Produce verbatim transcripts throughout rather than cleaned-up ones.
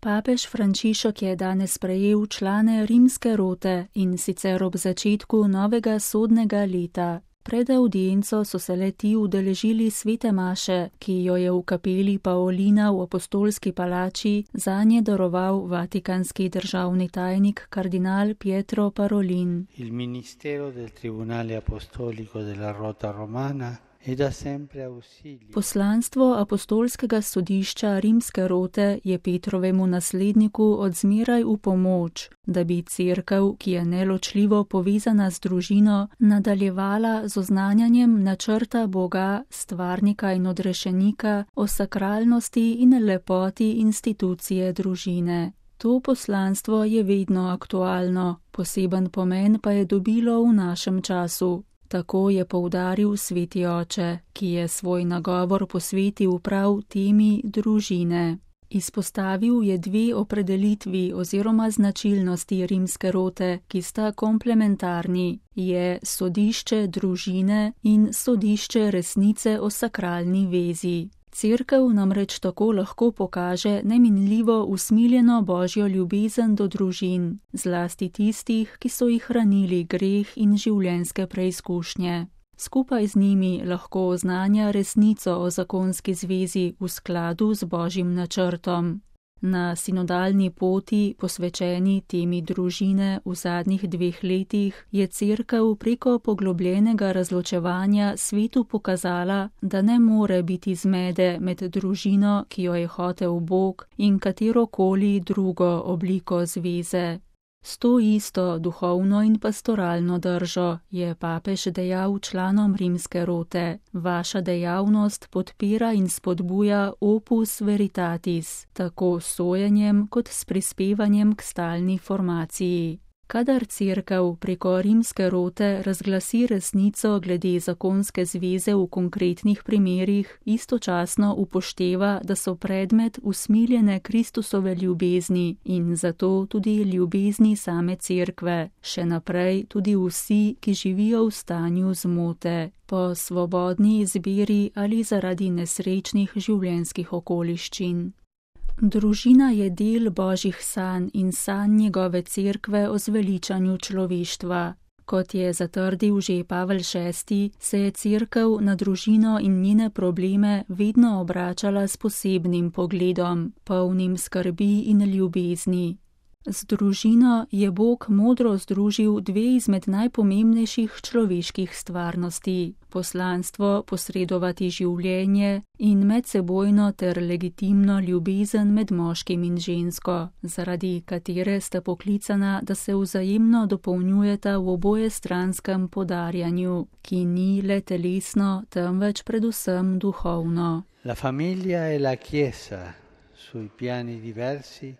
Papež Frančišek je danes sprejel člane rimske rote in sicer ob začetku novega sodnega leta. Pred avdienco so se le-ti udeležili svete maše, ki jo je v kapeli Paolina v apostolski palači zanje daroval vatikanski državni tajnik kardinal Pietro Parolin. Il ministero del Tribunale Apostolico della Rota Romana e da sempre ausilio. Poslanstvo apostolskega sodišča rimske rote je Petrovemu nasledniku odzmeraj v pomoč, da bi cerkev, ki je neločljivo povezana z družino, nadaljevala z oznanjanjem načrta Boga, stvarnika in odrešenika o sakralnosti in lepoti institucije družine. To poslanstvo je vedno aktualno, poseben pomen pa je dobilo v našem času. Tako je poudaril sveti oče, ki je svoj nagovor posvetil prav temi družine. Izpostavil je dve opredelitvi oziroma značilnosti rimske rote, ki sta komplementarni, je sodišče družine in sodišče resnice o sakralni vezi. Cerkev namreč tako lahko pokaže neminljivo usmiljeno božjo ljubezen do družin, zlasti tistih, ki so jih hranili greh in življenjske preizkušnje. Skupaj z njimi lahko oznanja resnico o zakonski zvezi v skladu z božjim načrtom. Na sinodalni poti, posvečeni temi družine v zadnjih dveh letih, je cerkev preko poglobljenega razločevanja svetu pokazala, da ne more biti zmede med družino, ki jo je hotel Bog, in katerokoli drugo obliko zveze. S to isto duhovno in pastoralno držo je papež dejal članom rimske rote: vaša dejavnost podpira in spodbuja opus veritatis, tako s sojenjem kot s prispevanjem k stalni formaciji. Kadar cerkev preko rimske rote razglasi resnico glede zakonske zveze v konkretnih primerih, istočasno upošteva, da so predmet usmiljene Kristusove ljubezni in zato tudi ljubezni same cerkve, še naprej tudi vsi, ki živijo v stanju zmote, po svobodni izbiri ali zaradi nesrečnih življenjskih okoliščin. Družina je del božjih sanj in sanj njegove cerkve o zveličanju človeštva. Kot je zatrdil že Pavel šesti, se je cerkev na družino in njene probleme vedno obračala s posebnim pogledom, polnim skrbi in ljubezni. Z družino je Bog modro združil dve izmed najpomembnejših človeških stvarnosti: poslanstvo posredovati življenje in medsebojno ter legitimno ljubezen med moškim in žensko, zaradi katere sta poklicana, da se vzajemno dopolnjujeta v obojestranskem podarjanju, ki ni le telesno, temveč predvsem duhovno. La familia e la chiesa, sui piani diversi,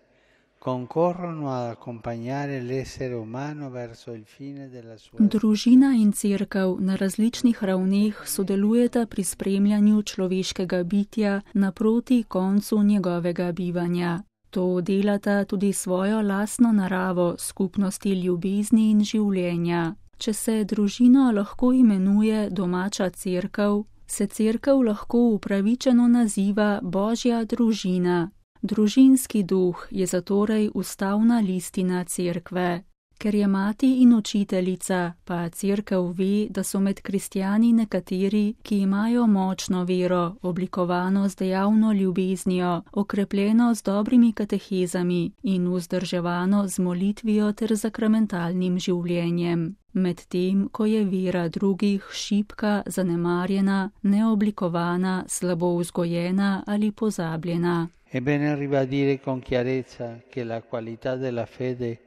concorrono ad accompagnare l'essere umano verso il fine della sua. Družina in cerkev na različnih ravneh sodelujeta pri spremljanju človeškega bitja naproti koncu njegovega bivanja. To delata tudi svojo lastno naravo skupnosti ljubezni in življenja. Če se družino lahko imenuje domača cerkev, se cerkev lahko upravičeno naziva Božja družina. Družinski duh je zatorej ustavna listina cerkve. Ker je mati in učiteljica, pa cerkev ve, da so med kristjani nekateri, ki imajo močno vero, oblikovano z dejavno ljubeznijo, okrepljeno z dobrimi katehezami in vzdrževano z molitvijo ter zakramentalnim življenjem. Medtem, ko je vera drugih šibka, zanemarjena, neoblikovana, slabo vzgojena ali pozabljena. È bene ribadire con chiarezza che la qualità della fede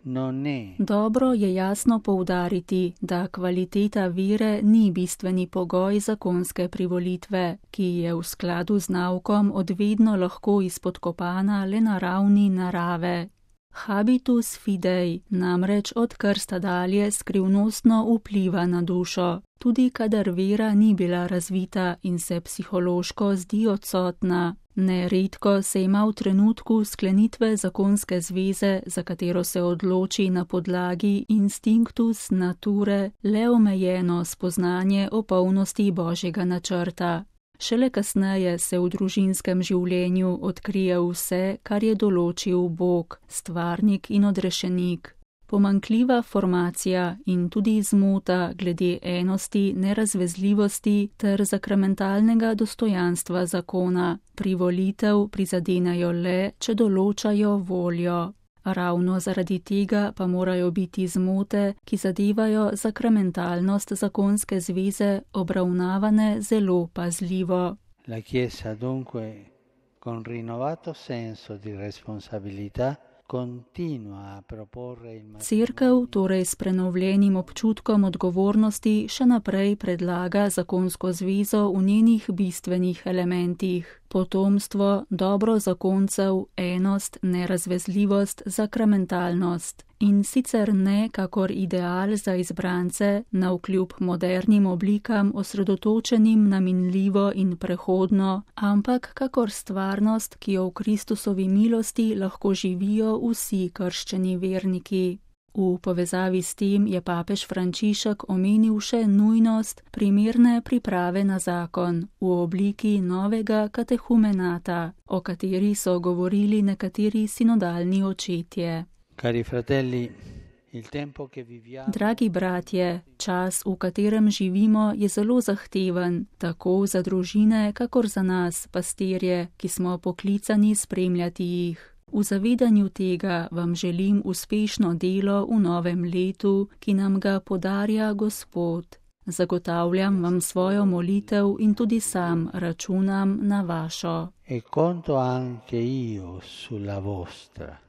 non è. Dobro je jasno poudariti, da kvaliteta vere ni bistveni pogoj zakonske privolitve, ki je v skladu z naukom odvedno lahko izpodkopana le na ravni narave. Habitus fidei namreč od krsta dalje skrivnostno vpliva na dušo, tudi kadar vera ni bila razvita in se psihološko zdi odsotna. Neredko se ima v trenutku sklenitve zakonske zveze, za katero se odloči na podlagi instinctus nature, le omejeno spoznanje o polnosti božjega načrta. Šele kasneje se v družinskem življenju odkrije vse, kar je določil Bog, stvarnik in odrešenik. Pomanjkljiva formacija in tudi zmota glede enosti, nerazvezljivosti ter sakramentalnega dostojanstva zakona privolitev prizadenejo le, če določajo voljo. Ravno zaradi tega pa morajo biti zmote, ki zadevajo sakramentalnost zakonske zveze, obravnavane zelo pazljivo. La Chiesa dunque, con rinnovato senso di responsabilità, continua a proporre il matrimonio. Cerkev torej s prenovljenim občutkom odgovornosti še naprej predlaga zakonsko zvezo v njenih bistvenih elementih. Potomstvo, dobro zakoncev, enost, nerazvezljivost, sakramentalnost. In sicer ne kakor ideal za izbrance, navkljub modernim oblikam osredotočenim na minljivo in prehodno, ampak kakor stvarnost, ki jo v Kristusovi milosti lahko živijo vsi krščeni verniki. V povezavi s tem je papež Frančišek omenil še nujnost primerne priprave na zakon v obliki novega katehumenata, o kateri so govorili nekateri sinodalni očetje. Cari fratelli, il tempo che viviamo. Dragi bratje, čas, v katerem živimo, je zelo zahteven, tako za družine, kakor za nas, pastirje, ki smo poklicani spremljati jih. V zavedanju tega vam želim uspešno delo v novem letu, ki nam ga podarja Gospod. Zagotavljam vam svojo molitev in tudi sam računam na vašo. E conto anche io sulla vostra.